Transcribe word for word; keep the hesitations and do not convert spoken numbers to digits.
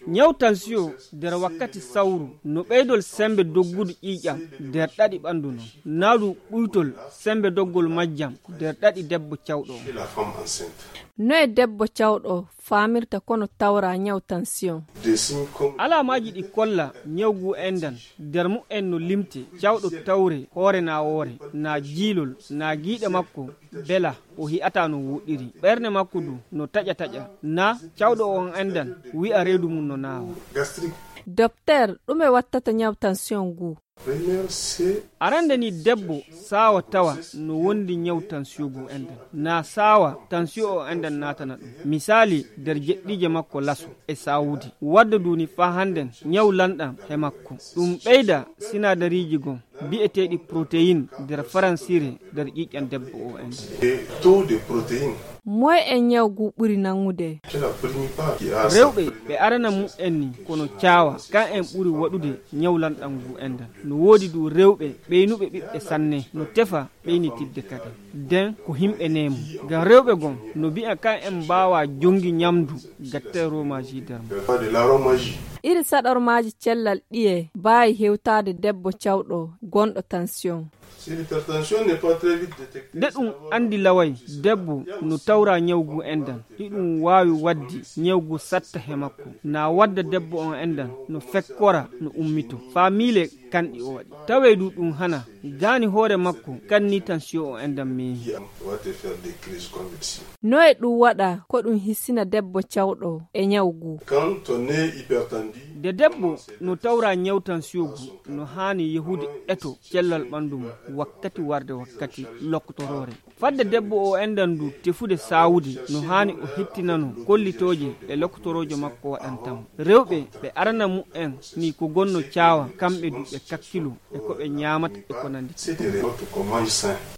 nyaw tension nder wakkati sawru no ɓeydol sembe doggudu ƴiƴam nder ɗaɗi ɓandu non naadu ɓuytol sembe doggol majjam nder ɗaɗi debbo cawɗo on. no e debbo cawɗo faamirta kono tawra nyaw tension? alamaji ɗi kolla nyawgu endan nder mu'en no limte cawɗo tawre hoore na woore na jiilol na giiɗe makko bela o hi'ata no wuɗiri ɓernde makko du no taƴa taƴa na cawɗo on endan wi'a reedu mum no naawa. docteur ɗume wattata nyaw tension gu? arande ni debbo sawa tawa no wondi nyaw tension gu endan na sawa tension o endan natana ɗum misali nder jeɗɗije makko laso e sawudi wadda duni fa handen nyaw lanɗam he makko ɗum ɓeyda sinadariji gon bi'eteɗi protéine nder faransire nder ƴiƴƴam debbo o endan. moy e nyawgu ɓuri nangude? rewɓe ɓe arana mu en ni kono caawa kan en ɓuri waɗude nyawlanɗam ngu endan no woodi du rewɓe ɓeynuɓe ɓiɓɓe sanne no tefa ɓeynitidde kadi nden ko himɓe nemu ngam rewɓe gon no mbi'a kan en mbawa jongi nyamdu gatte romaji nder mo. iri saɗormaji cellal ɗiye baawi hewtade debbo cawɗo gonɗo tension? nde ɗum andi laway debbo no tawra nyawgu endan ɗiɗum wawi waddi nyawgu satta he makko na wadda debbo on endan no fekkora no ummito famile kanɗi o waɗi tawe du ɗum hana gani hoore makko kanni tension o endan mehi. no e ɗum waɗa ko ɗum hissina debbo cawɗo e nyawgu? de debbo no tawra nyaw tension gu no hani yehude eto cellal ɓandu mum wakkati warde wakkati lokkotorore fadde debbo o endan du tefude sawudi no hani o hettinano kollitoje e lokkotoroje makko waɗantamo rewɓe ɓe arana mu en ni ko gonno caawa kamɓe du ɓe kakkilu e ko ɓe nyamata e ko nandi.